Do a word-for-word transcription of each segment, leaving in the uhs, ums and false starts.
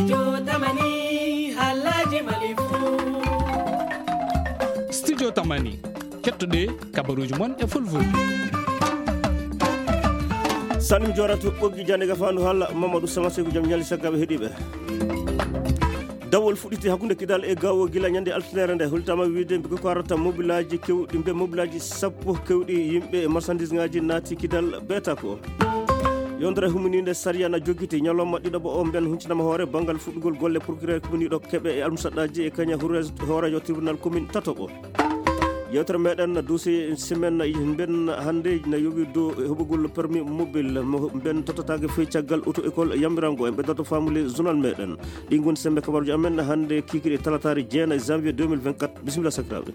Jotamani, halaji malifu. Studio Tamani, kettoɗe kabaruji mon e fulfulde. Salim Jorato, ɓoggi jande gafandu halla Mamadou Sama Seku, jam ñali sakkaɓe heɗiɓe. Dawol fuɗɗiti hakkunde Kidal e Gawo gila ñande altinere nde, hultama wiide mbi ko arata mobilaji kewɗi, mbe mobilaji sappo kewɗi yimɓe e marchandise ngaji naati Kidal beeta ko. Yondere humininde sariya na jokkiti ñalawma ɗiɗaɓo o, mben huncinama hoore banngal fuɗɗugol golle procureur commune ɗo keɓe e almusaɗɗaji e kaña hoorejo tribunal commune tatoɓo. Yewtere meɗen dossier semaine mben hannde na yowi dow heɓugol permis mobile mo mben tottatake fey caggal auto école yamirango. En ɓeddoto famude journal meɗen. Ɗi ngoni sembe kabaruji amen hannde kikiri talatari jeenayi janvier deux mille vingt-quatre. Bisimilla sakiraɓe.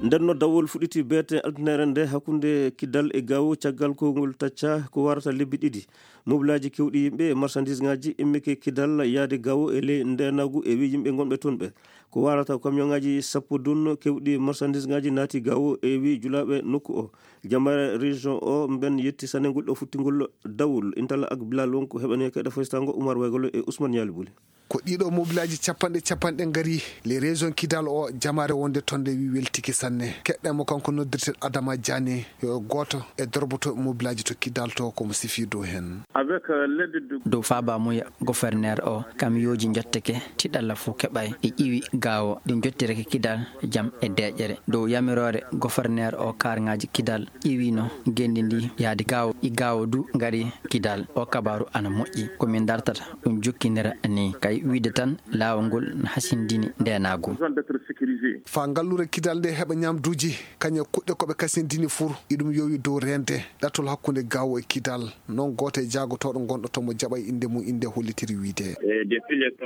Nden no dawol fuɗɗiti beete altinere nde hakkunde Kidal e Gawo caggal ko ngol tacca ko warata lebbi ɗiɗi. Mobilaji kewɗi yimɓe e marchandise ngaji immike Kidal yaade Gawo e ley ndenagu e wi yimɓe gonɓe toon ɓe. Ko warata camion ngaji sappo dun kewɗi marchandise ngaji naati Gawo e wi julaɓe nokku o. Jamare région o mben yetti sanegol ɗo futtingol dawol. Intala ak Bilal wonko heɓani keɗa foystango Oumar Waygolo e Ousmane Yali Bouli. Ko ɗiɗo mobilaaji capanɗe capanɗe ngari le région Kidal o, jamaare wonde toon nde wi weltike sanne. Keɗɗen mo kanko noddirten Adama Diané, yo gooto e dorboto mobilaaji to Kidal to, komo sifi dow heen. Avec, euh, l'aide de Dow faaba muya gouverneur o, kamiyooji njotteke, tiɗalla fof keɓay. Ɗi ƴiwi Gawo, ɗi njottirake Kidal jam e deeƴere. Dow yamiroore gouverneur o, karŋaaji Kidal ƴiwino ngenndi ndi yaade Gawo, ɗi Gawo du ngari Kidal. O kabaaru ana moƴƴi. Ko min dartata ɗum jokkinira ni. Kay wiide tan laawol ngol na hasindini ndeenaagu. Faa ngalluure Kidal nde heɓa ñaamduuji, kañe kuɗɗe ko ɓe kasindini fur, iɗum yowi dow reende ɗatol hakkunde Gawo e Kidal. Noon gooto e jaagotooɗo gonɗo toon mo jaɓay innde mum, innde hollitiri wiide.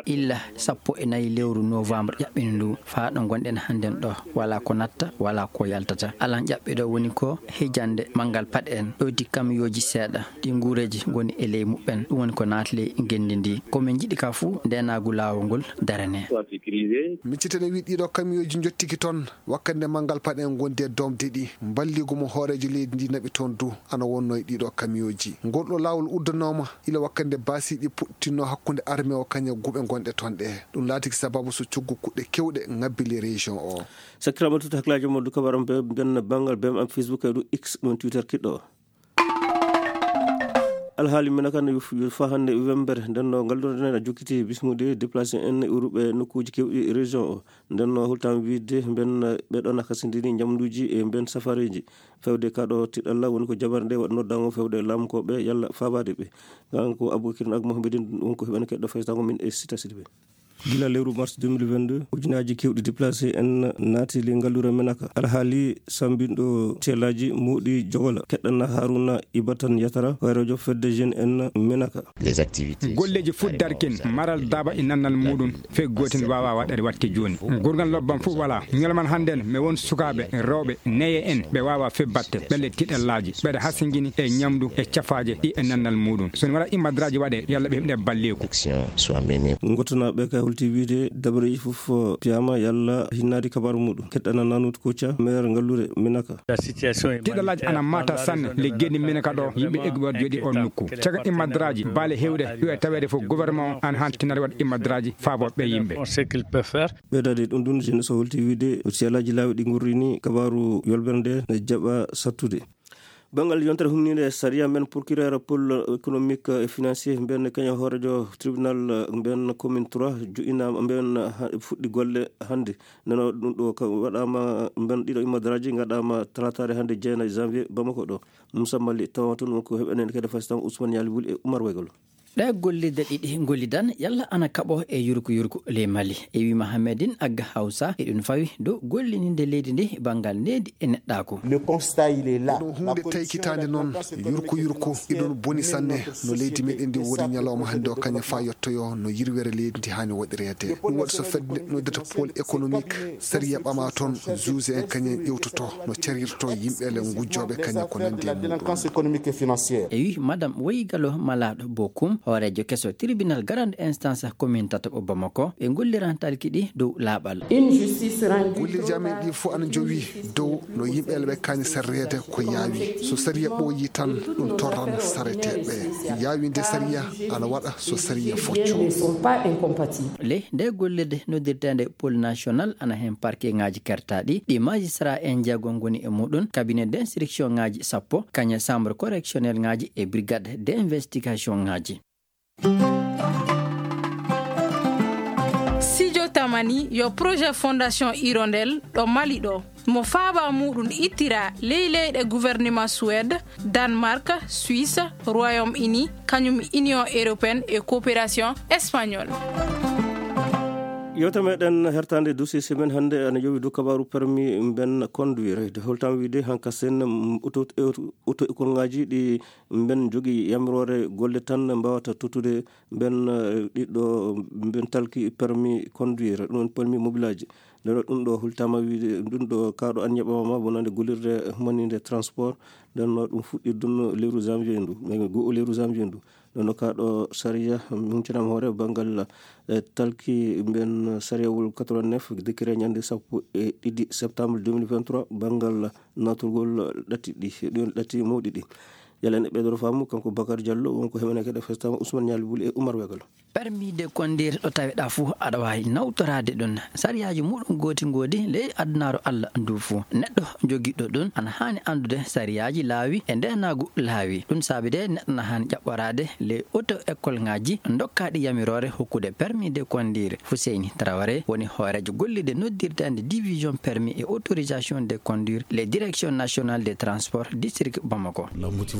Illa sappo e nayi lewru novembre ƴaɓɓini ndu, faa ɗo ngonɗen hannden ɗo, walaa ko natta, walaa ko yaltata. Alan ƴaɓɓiɗo woni ko hijande manngal paɗe en, ɗoydi kamiyooji seeɗa, ɗi nguureeji ngoni e ley muɓɓen. Ɗum woni ko naati ley ngenndi ndi. Ko min njiɗi ka fuu, ndeenaagu laawol ngol darane. Miccitene wi ɗiɗo kamiyooji njottiki toon, wakkande manngal paɗe en ngondi e doomde ɗi. Mballigu mo hooreejo leydi ndi naɓi toon du, ana wonno e ɗiɗo kamiyooji. Ngol ɗo laawol uddanooma ila wakkande baasiiɗi puɗtinno hakkunde armée o kañe guɓe gonɗe toon ɗe. Ɗum laatiki sababu so coggu kuɗɗe kewɗe ŋabbi le région o. Sakiraaɓe tut hakkilaaji mon du kabaram be mbiyan banngal B M am Facebook e du X ɗum Twitter kiɗɗo. Alhaali men kan yo fa hannde wembere nden no ngal ɗon nen a jokkiti bismude déplacé en e uruɓe nokkuuji kewɗi région o. Nden no hultam wiide mben ɓe ɗon a kasindini ñamduuji e mben safareeji. Fewde kaɗo tiɗalla woni ko jabar nde waɗ noddango fewde lamkoɓe yalla fabaade ɓe. Kanko Abou Bakrin ak Mohamed wonko heɓen keɗɗo faytango min e Sita Sidibé. Gila lewru mars deux mille vingt-deux, ujunaaji kewɗi déplacé en naati le ngalluure Menaka. Alhaali sambinɗo teelaaji moɗi jogola. Keɗɗana Haruna Ibatan Yatara, hoyrojo fedde jeune en Menaka. Golleeji fuɗ darkin, maral daaba e nannal muuɗum, fey gootin waawa waɗeede waɗte jooni. Gurgan lobbam fof wala. Ñalawma hannden, mi won sukaaɓe, rewɓe, neye en, ɓe waawa fey batte, ɓen le tiɗallaaji, ɓeɗe hasingini e ñamdu e cafaaje ɗi e nannal muuɗum. So mi waɗa immadraaji waɗe, yalla ɓe heɓde balleeku. Action soit menée. Ngottanaaɓe kay holti wiide dabareeji fof, uh, piyama yalla hinnaade kabaaru muuɗum. Keɗɗana Nanut Koca, maire ngalluure Minaka. Tiɗallaaji ana maata sanne le geni Minaka ɗo, yimɓe egguɓe waɗ jooɗi on nokku. Caga immadraaji, baale hewɗe, yo e taweede fof gouvernement o ana hantinare waɗ immadraaji faabo ɓe yimɓe. Ɓeydaade ɗum ɗum, jeunesse o holti wiide, siyalaaji laawi ɗi ngurrini kabaaru yolbere nde ne jaɓa sattude. Banngal yontere humniinde e sariya men, procureur pôle économique et financier, mbiyan kañum hooreejo tribunal, mbiyan commune trois, joƴƴinaama, mbiyan ha-, fuɗɗi golle hannde. Nano ɗum ɗo ka waɗaama, mbiyan ɗiɗo immadraaji ngaɗaama talataare hannde, jeena janvier, Bamako ɗo. Moussa Mali tawa toon, wonko heɓanen kadi fastan Ousmane Yali Wul e Oumar Waygol. Ɗe gollirde ɗiɗi gollidan yalla ana kaɓo e yurko yurko ley Mali. E wi Mahamedin Agga Hawsa, eɗum fawi dow gollininde leydi ndi banngal nehdi e neɗɗaaku. Le constat, il est là. Ko ɗum huunde taykitaande noon, yurko yurko, eɗum boni sanne no leydi meɗen ndi woni ñalawma hannde o, kañum faa yettoyo no yirwere leydi ndi haani waɗireede. Ɗum waɗi so fedde noddata pôle économique, sariya ɓama toon, juge en kañum ƴewtoto no carirto yimɓe le ngujjooɓe kañum ko nanndi e muɗum. E wi Madame Woyigalo Malaaɗo Bokum, Hooreejo keso tribunal grande instance commune tataɓo Bamako, ɓe ngolliran talki ɗi dow laaɓal. Une justice rendue. Gollirji amen ɗi fof ana njowi dow no yimɓe ɓe kaani sarreede ko yaawi. So sariya ɓooyi tan, ɗum torran sareteeɓe. Yaawinde sariya ana waɗa so sariya focco. Les ne sont pas incompatibles. Le nde gollirde noddirteende pôle national ana heen parquet ŋaaji kertaaɗi, ɗi magistrat en jeego ngoni e muɗum, cabinet d'instruction ŋaaji sappo, kañe chambre correctionnel ŋaaji e brigade d'investigation ŋaaji. Sijo Tamani yo projet Fondation Hirondelle ɗo Mali ɗo. Mo faaba muɗum ittira ley leyɗe gouvernement Suède, Danemark, Suisse, Royaume-Uni, kañum Union européenne e coopération espagnole. Yewtere meɗen hertande dossier semaine hannde ana yowi dow kabaru permis mben conduire. De holtam wiide hanka sen, mm, auto, auto, auto école ngaji ɗi mben jogi yamiroore golle tan mbawata tottude mben, eh, ɗiɗɗo mben talki permis conduire, ɗum permis mobilage. Nden ɗum ɗo hultama wiide, ɗum ɗo kaɗo an yaɓama wonande gollirde humaninde transport. Nden no ɗum fuɗɗi ɗum lewru janvier ndu, mais go lewru janvier ndu. Nden no kaɗo sariya, mi huncana hoore banngal, eh, talki mben sariyawol quatre-vingt-neuf, décret ñande sappo e ɗiɗi septembre deux mille vingt-trois, banngal naturgol ɗatti ɗi, ɗion ɗatti mawɗi ɗi. Yalane ɓeydoro faamu, kanko Bakar Diallo, wonko heɓanake ɗe festama Ousmane Ñaali Wuli e Oumar Wegal. Permis de conduire ɗo taweɗa fuu, aɗa waawi nawtoraade ɗum. Sariyaaji muɗum gooti ngoodi ley adunaaru Allah ndu fuu. Neɗɗo jogiiɗo ɗum ana haani anndude sariyaaji laawi e ndeenaagu laawi. Ɗum saabi de neɗɗo na haani ƴaɓɓoraade ley auto école ŋaaji dokkaaɗi yamiroore hokkude permis de conduire. Fuseyni Traoré woni hooreejo gollirde noddirteende division permis et autorisation de conduire, les directions nationales des transports, district Bamako.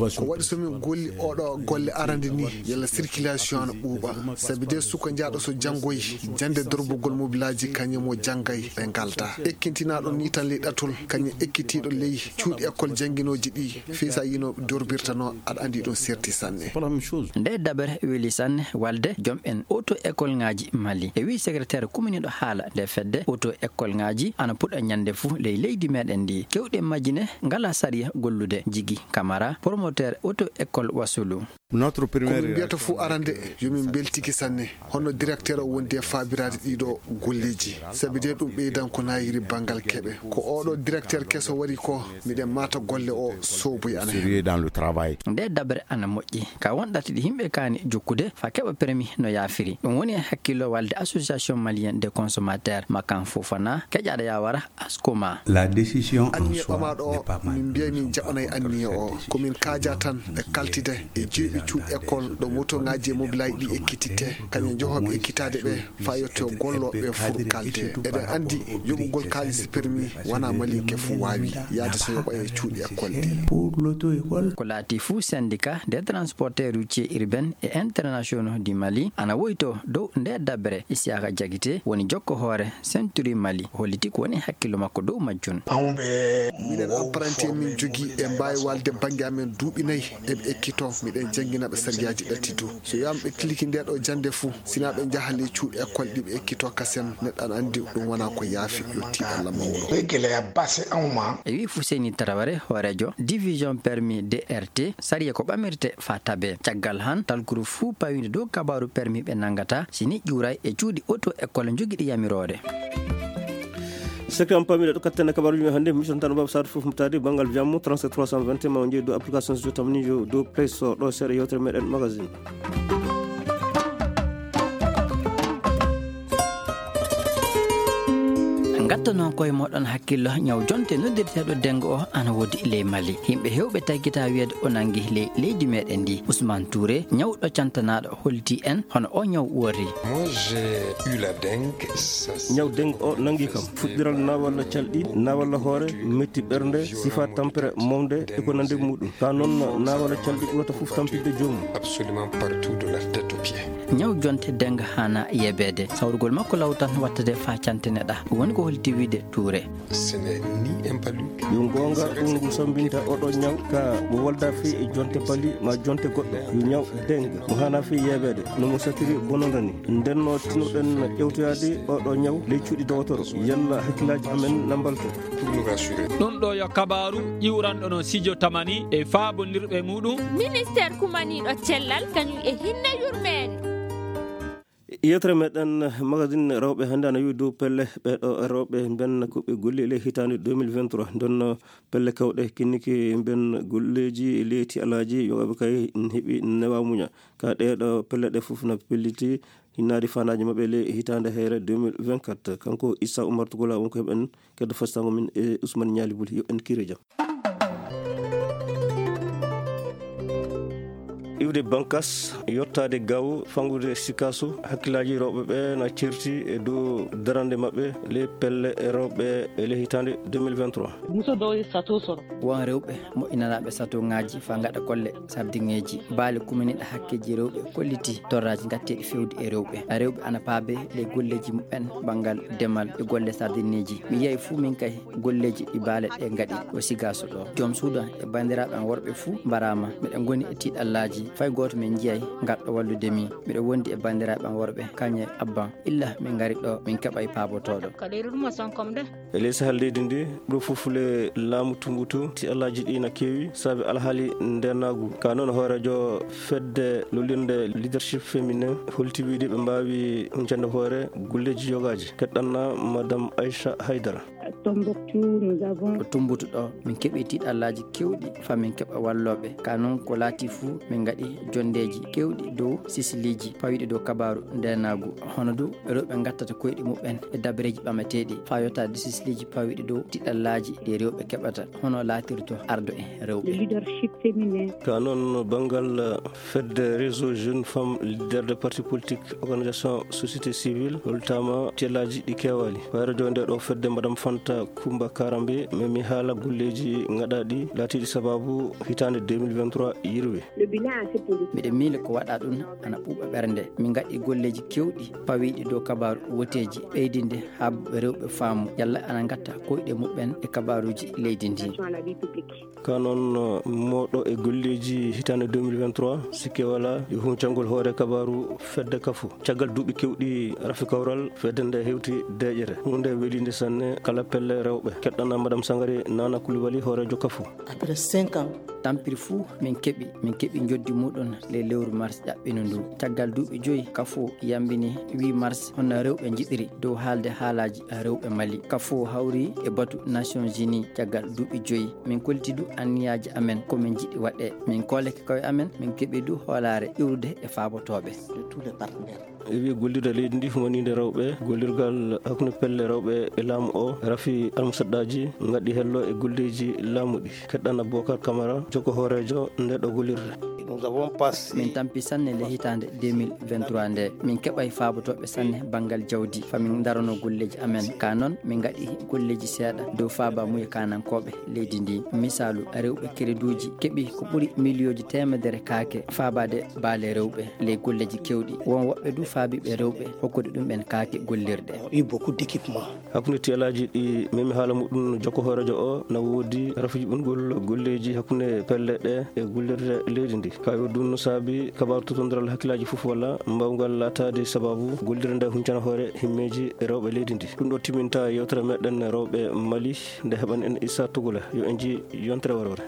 Ko waɗi so min golli oɗo golle arande ni, yalla circulation ana ɓuuɓa. Sabi de suka jaaɗo so janngoy, jannde dorbugol mobilaaji kañum mo janngay ɓe ngalda. Ekkintinaaɗo ni tan ley ɗatol, kañum ekkitiiɗo ley cuuɗi école jannginooji ɗi, fii sa yino dorbirtano, aɗa anndi ɗum serti sanne. Nde dabere weli sanne walde jom en auto école ŋaaji Mali. E wi secrétaire kuminiiɗo haala nde fedde, auto école ŋaaji ana puɗa ñande fuu ley leydi meɗen ndi. Kewɗe majji ne ngala sariya gollude. Jigi Kamara, promoteur auto école Wasulu. Ko min mbiyata fuu arande, yo min mbeltiki sanne. Honno directeur o wondi e faabiraade ɗiɗo golleeji? Sabi de ɗum ɓeydan ko naayiri banngal keɓe. Ko oɗo directeur keso wari ko, miɗen maata golle o sooboy ana hen. Nde dabere ana moƴƴi. Ka won ɗatti ɗi yimɓe kaani jokkude fa keɓa permis no yaafiri. Ɗum woni e hakkillo walde Association Malienne des Consommateurs, Makan Fofana, keƴaɗo yawara Askoma. La décision en soi n'est pas mal. Anniya ɓamaaɗo o, min mbiya min jaɓanay anniya o. Ko min kaaja tan e kaltide e jeeɓi cuuɗi école ɗo motoŋaaji e mobilaaji ɗi ekkititte, kañum njohooɓe ekkitaade ɓe, faa yetto gollooɓe fur kalde. Eɗen anndi yoɓugol kaalis permis wonaa Malinke fuu waawi, yaade so yoɓa e cuuɗi école ɗi. Ko laati fuu syndicat des transporteurs routiers urbains et internationaux du Mali ana woyto dow nde dabere. Isiaka Jagite woni jokko hoore Century Mali, holliti ko woni hakkillo makko dow majjum. Minen apprenti en min jogii e mbaawi walde bannge amen duuɓi nayi eɓe ekkito, miɗen janngina ɓe sariyaaji ɗatti du. So wiyaama ɓe tiliki nde ɗo jannde fuu, sina ɓe njaha ley cuuɗi école ɗi ɓe ekkito kasen, neɗɗo ana anndi ɗum wonaa ko yaafi, yo tiiɗalla mawɗo. E wi Fuseni Taraware, hooreejo division permis D R T, sariya ko ɓamirte faa tabe. Caggal han, talkuru fuu pawii dow kabaaru permis ɓe nanngata, si ni ƴuuray e cuuɗi auto école jogiiɗi yamiroore. Sekre am pamiɗo ɗo katten e kabaruji men hannde, mi tan Baba Sadio fof mo taadi banngal jammu, trente-sept trois cent vingt et un, ma o jeeyi dow application so tamni yo dow Play Store, ɗo seeɗa yewtere meɗen magazine. Ngatta noon koye moɗon hakkillo, ñaw jonte noddirteeɗo dengo o ana woodi ley Mali. Yimɓe hewɓe taggita wiyeede o nangi ley leydi meɗen ndi. Ousmane Touré, ñawɗo cantanaaɗo, holti en hono o ñaw worri. Moi, j'ai eu la dengue. Ñaw dengue o nangi kam. Fuɗɗiral naawalla calɗi, naawalla hoore, metti ɓernde, sifa tampere mawde e ko nandi muɗum. Ka noon naawalla calɗi ɓurata fof tampinde joomum. Absolument partout de la tête aux pieds. Ñaw jonte dengue haana yebeede. Sawrugol makko law tan wattade faa cantine ɗa. Woni ko holti wiide tuure. Yo goonga ɗum ngu sambinta oɗo ñaw ka mo wolda fii e jonte bali ma jonte goɗɗo. Yo ñaw dengue mo haana fii yebeede no mo satiri bononda ni. Ndenno tinuɗen ƴewtoyaade oɗo ñaw ley cuuɗi dowotoro. Yalla hakkillaaji amen na mbalto. Pour nous rassurer. Ɗum ɗo yo kabaaru iwranɗo no Sijo Tamani e faabondirɓe muɗum. Ministeer kumaniiɗo cellal kañum e hinne yurmeende. Yewtere meɗen magazine rewɓe hannde ana wi'i dow pelle ɓeeɗo rewɓe mbenna ko ɓe golli le hitaande deux mille vingt-trois. Ndonno pelle kewɗe kinniki mben golleeji leyti alaaji yogaaɓe kay heɓi newa muña. Ka ɗeeɗo pelle ɗe fof na pelliti hinnaade faandaaji maɓɓe le hitaande heyre deux mille vingt-quatre. Kanko Issa Oumar Tugula wonko heɓen keddo fastango min e Ousmane Ñaali Buli. Yo en kiire jam. Iwde bankas, yottaade gaw, fangude sikasu, hakkillaaji rewɓe ɓe na certi e dow darande maɓɓe ley pelle e rewɓe e ley hitaande deux mille vingt-trois. Muso dow sato soro. Won rewɓe moƴƴinanaaɓe sato ŋaaji faa ngaɗa golle sardiŋeeji. Baale kuminiiɗe hakkeeji rewɓe kolliti torraaji ngatteeɗi fewde e rewɓe. Rewɓe ana paabe ley golleeji muɓɓen banngal demal e golle sardineeji. Mi yiyay fuu min kay golleeji ɗi baale ɗe ngaɗi o sigaaso ɗo. Joom suudu e banndiraaɓe am worɓe fuu mbaraama. Miɗen ngoni e tiiɗallaaji. Fay gooto min njiyay ngarɗo wallude mi. Miɗo wondi e banndiraaɓe am worɓe, kañe abban. Illa min ngari ɗo, min keɓay paabotooɗo. Ka leydi ɗum o sankom de. E ley sahal leydi ndi, ɗo fof le laamu tumbutu, tiiɗallaaji ɗi na keewi, saabi alhaali ndeenaagu. Ka noon hooreejo fedde lollirnde leadership féminin holti wiide ɓe mbaawi huncande hoore golleeji yogaaji. Keɗɗanna Madame Aïcha Haydara. À Tombouctou, nous avons Ko Tumbutu ɗo, min keɓi tiiɗallaaji keewɗi faa min keɓa wallooɓe. Ka noon ko laati fuu, min ngaɗi jonndeeji keewɗi dow sisiliiji pawiiɗi dow kabaaru ndeenaagu. Hono du rewɓe ngattata koyɗe muɓɓen e dabareeji ɓamateeɗi faa yottaade sisiliiji pawiiɗi dow tiiɗallaaji ɗi rewɓe keɓata. Hono laatirto ardo e rewɓe. Le leadership féminin. Ka noon banngal fedde réseau jeune femme leader de parti politique, organisation société civile, holtaama tiiɗallaaji ɗi keewaali. Wayro jo nde ɗo fedde Madame Fanta Kumba Karambe, memi haala golleeji ngaɗaaɗi laatiiɗi sabaabu hitaande deux mille vingt-trois yirwe. Le bilan est assez positif. Miɗo miila ko waɗa ɗum ana ɓuuɓa ɓernde. Min ngaɗi golleeji keewɗi pawiiɗi dow kabaaru woteeji, ɓeydinde haa rewɓe faamu yalla ana ngatta koyɗe muɓɓen e kabaaruuji leydi ndi. Attention à la vie publique. Ka noon, mooɗo e golleeji hitaande deux mille vingt-trois, sikke walaa e huncangol hoore kabaaru fedde Kafo. Caggal duuɓi keewɗi rafi kawral, fedde nde hewti deeƴere. Huunde weliinde sanne kala pelle rewɓe. Keɗɗana Madame Sangare Nana Coulibaly, hooreejo Kafo. Après cinq ans. Tampiri fuu min keɓi, min keɓi njoddi muɗum ley lewru mars ƴaɓɓino ndu. Caggal duuɓi joyi, Kafo yambini huit mars hono rewɓe njiɗiri dow haalde haalaaji rewɓe Mali. Kafo hawri e batu Nations Unies caggal duuɓi joyi. Min kolliti du anniyaaji amen ko min njiɗi waɗee. Min koolake koye amen, min keɓi du hoolaare iwrude e faabotooɓe. De tous les partenaires. E wi'i gollirde leydi ndi humaniinde rewɓe, gollirgal hakkunde pelle rewɓe e laamu o, rafi almusaɗɗaaji, ngaɗi hello e golleeji laamu ɗi. Keɗɗana Bokar Kamara, jokko hooreejo nde ɗo gollirde. Nous avons passé Min tampi sanne le hitaande deux mille vingt-trois nde. Min keɓay faabotooɓe sanne banngal jawdi, fa min ndarono golleeji amen. Ka noon, min ngaɗi golleeji seeɗa dow faaba muye kaanankooɓe leydi ndi. Misaalu, rewɓe kereduuji keɓi ko ɓuri miliyooji teemedere kaake faabaade baale rewɓe ley golleeji keewɗi. Won woɓɓe du faabiiɓe rewɓe hokkude ɗum ɓen kaake gollirɗe. Eu beaucoup d'équipements. Hakkunde tiyalaaji ɗi memi haala muɗum jokko hooreejo o, na woodi rafuji ɓurgol golleeji hakkunde pelle ɗe e gollirde leydi ndi. Ka yo ɗum no saabi kabaaru totondiral hakkillaaji fof walla mbaawngal laataade sababu gollirde nde huncana hoore himmeeji rewɓe leydi ndi. Ɗum ɗo timinta yewtere meɗen rewɓe Mali nde heɓan en Issa Tugula. Yo en nji yontere warware.